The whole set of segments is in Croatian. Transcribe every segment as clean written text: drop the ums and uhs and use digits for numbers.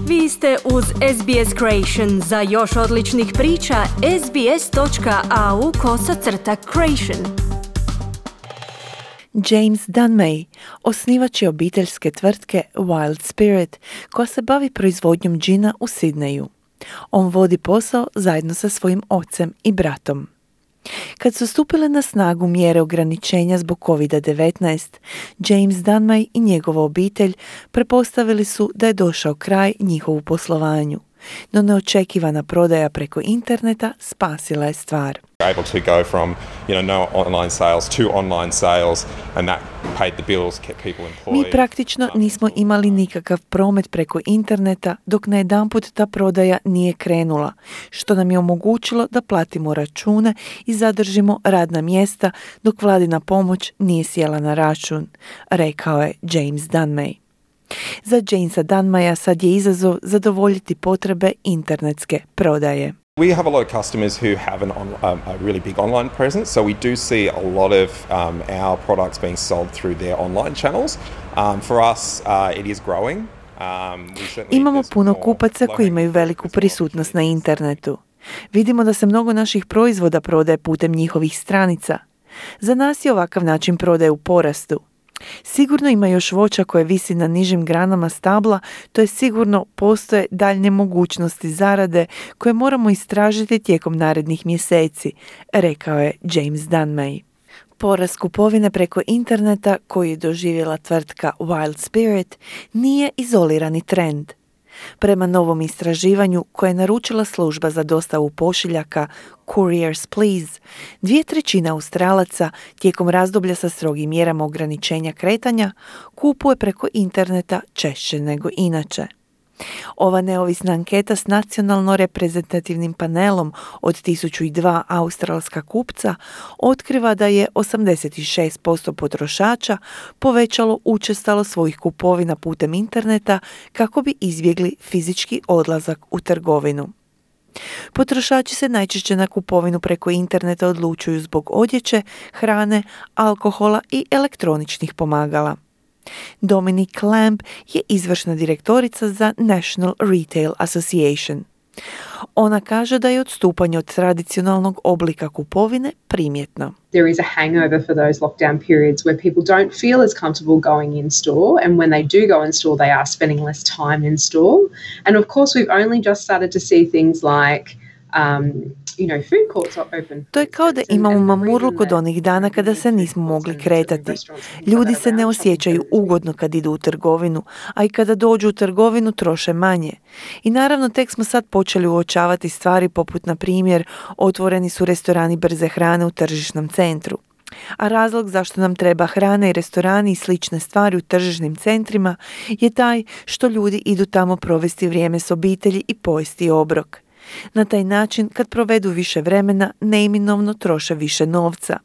Vi ste uz SBS Creation. Za još odličnih priča, sbs.au/creation. James Dunmay, osnivač je obiteljske tvrtke Wild Spirit, koja se bavi proizvodnjom džina u Sidneju. On vodi posao zajedno sa svojim ocem i bratom. Kad su stupile na snagu mjere ograničenja zbog COVID-19, James Dunmay i njegova obitelj pretpostavili su da je došao kraj njihovu poslovanju, no neočekivana prodaja preko interneta spasila je stvar. Able to go from, no online sales to online sales, and that paid the bills, kept people employed. Mi praktično nismo imali nikakav promet preko interneta dok najedanput ta prodaja nije krenula, što nam je omogućilo da platimo račune i zadržimo radna mjesta dok vladina pomoć nije sjela na račun, rekao je James Dunmay. Za Jamesa Dunmaya sad je izazov zadovoljiti potrebe internetske prodaje. We have a lot of customers who have a really big online presence, so we do see a lot of our products being sold through their online channels. For us, it is growing. Imamo puno kupaca koji imaju veliku prisutnost na internetu. Vidimo da se mnogo naših proizvoda prodaje putem njihovih stranica. Za nas je ovakav način prodaje u porastu. Sigurno ima još voća koje visi na nižim granama stabla, to je sigurno postoje daljnje mogućnosti zarade koje moramo istražiti tijekom narednih mjeseci, rekao je James Dunmay. Porast kupovine preko interneta koju je doživjela tvrtka Wild Spirit nije izolirani trend. Prema novom istraživanju koje je naručila služba za dostavu pošiljaka Couriers Please, 2/3 Australaca tijekom razdoblja sa strogim mjerama ograničenja kretanja kupuje preko interneta češće nego inače. Ova neovisna anketa s nacionalno reprezentativnim panelom od 1002 australska kupca otkriva da je 86% potrošača povećalo učestalo svojih kupovina putem interneta kako bi izbjegli fizički odlazak u trgovinu. Potrošači se najčešće na kupovinu preko interneta odlučuju zbog odjeće, hrane, alkohola i elektroničnih pomagala. Dominique Clamp je izvršna direktorica za National Retail Association. Ona kaže da je odstupanje od tradicionalnog oblika kupovine primjetno. There is a hangover for those lockdown periods where people don't feel as comfortable going in store, and when they do go in store they are spending less time in store. And of course we've only just started to see things like food courts are open. To je kao da imamo mamurluk od onih dana kada se nismo mogli kretati. Ljudi se ne osjećaju ugodno kad idu u trgovinu, a i kada dođu u trgovinu troše manje. I naravno tek smo sad počeli uočavati stvari poput, na primjer, otvoreni su restorani brze hrane u tržišnom centru. A razlog zašto nam treba hrana i restorani i slične stvari u tržišnim centrima je taj što ljudi idu tamo provesti vrijeme s obitelji i pojesti obrok. Na taj način, kad provedu više vremena, neminovno troše više novca.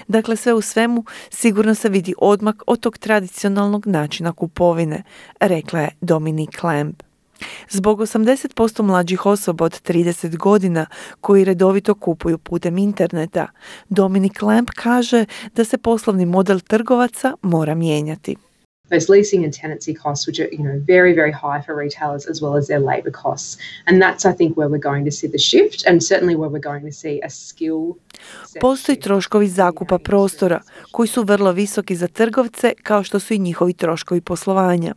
Dakle, sve u svemu, sigurno se vidi odmak od tog tradicionalnog načina kupovine, rekla je Dominique Clamp. Zbog 80% mlađih osoba od 30 godina koji redovito kupuju putem interneta, Dominique Clamp kaže da se poslovni model trgovaca mora mijenjati. Those leasing and tenancy costs, which are, very, very high for retailers, as well as their labour costs. And that's, I think, where we're going to see the shift, and certainly where we're going to see a skill. Postoji troškovi zakupa prostora, koji su vrlo visoki za trgovce, kao što su i njihovi troškovi poslovanja.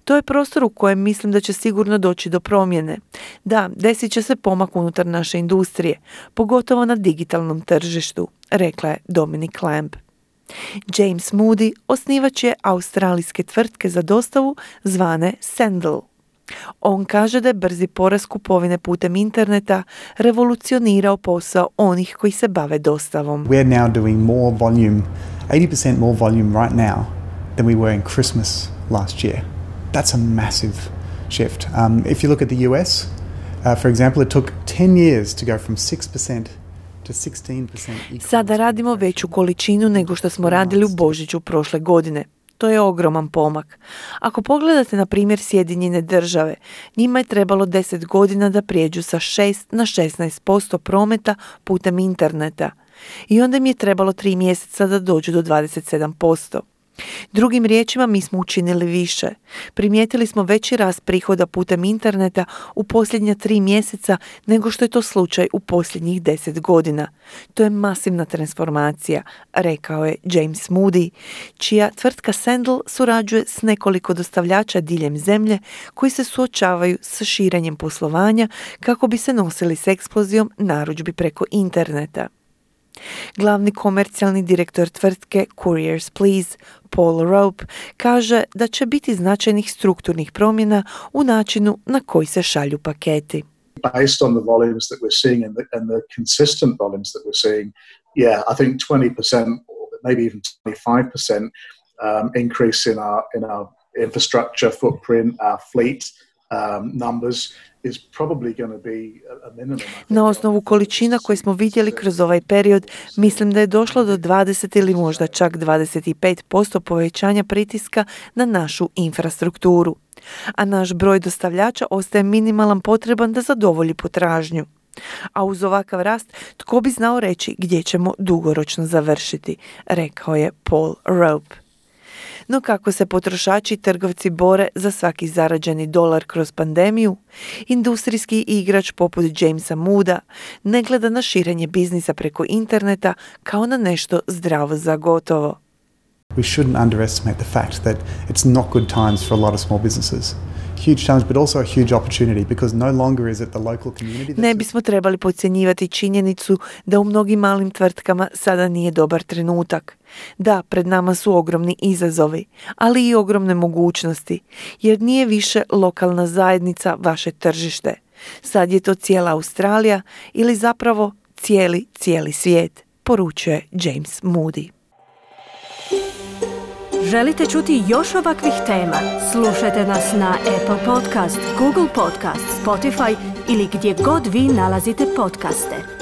To je prostor u kojem mislim da će sigurno doći do promjene. Da, desit će se pomak unutar naše industrije, pogotovo na digitalnom tržištu, rekla je Dominique Clamp. James Moody osnivač je australijske tvrtke za dostavu zvane Sendle. On kaže da je brzi porast kupovine putem interneta revolucionirao posao onih koji se bave dostavom. We are now doing more volume, 80% more volume right now than we were in Christmas last year. That's a massive shift. If you look at the US, for example, it took 10 years to go from 6% to 16%. Sada radimo veću količinu nego što smo radili u Božiću prošle godine. To je ogroman pomak. Ako pogledate na primjer Sjedinjene Države, njima je trebalo 10 godina da prijeđu sa 6 na 16% prometa putem interneta. I onda im je trebalo 3 mjeseca da dođu do 27%. Drugim riječima, mi smo učinili više. Primijetili smo veći rast prihoda putem interneta u posljednja 3 mjeseca nego što je to slučaj u posljednjih 10 godina. To je masivna transformacija, rekao je James Moody, čija tvrtka Sandal surađuje s nekoliko dostavljača diljem zemlje koji se suočavaju sa širenjem poslovanja kako bi se nosili s eksplozijom narudžbi preko interneta. Glavni komercijalni direktor tvrtke Couriers Please, Paul Rope, kaže da će biti značajnih strukturnih promjena u načinu na koji se šalju paketi. Based on the volumes that we're seeing and the consistent volumes that we're seeing, I think 20% or maybe even 25% increase in our infrastructure footprint, our fleet numbers is probably going to be a minimum. Na osnovu količina koje smo vidjeli kroz ovaj period, mislim da je došlo do 20 ili možda čak 25% povećanja pritiska na našu infrastrukturu. A naš broj dostavljača ostaje minimalan potreban da zadovolji potražnju. A uz ovakav rast, tko bi znao reći gdje ćemo dugoročno završiti, rekao je Paul Rope. No kako se potrošači i trgovci bore za svaki zarađeni dolar kroz pandemiju, industrijski igrač poput Jamesa Mooda ne gleda na širenje biznisa preko interneta kao na nešto zdravo za gotovo. We shouldn't underestimate the fact that it's not good times for a lot of small businesses. Huge challenge, but also a huge opportunity because no longer is it the local community. Ne bismo trebali podcjenjivati činjenicu da u mnogim malim tvrtkama sada nije dobar trenutak. Da, pred nama su ogromni izazovi, ali i ogromne mogućnosti, jer nije više lokalna zajednica vaše tržište. Sad je to cijela Australija ili zapravo cijeli svijet, poručuje James Moody. Želite čuti još ovakvih tema? Slušajte nas na Apple Podcast, Google Podcast, Spotify ili gdje god vi nalazite podcaste.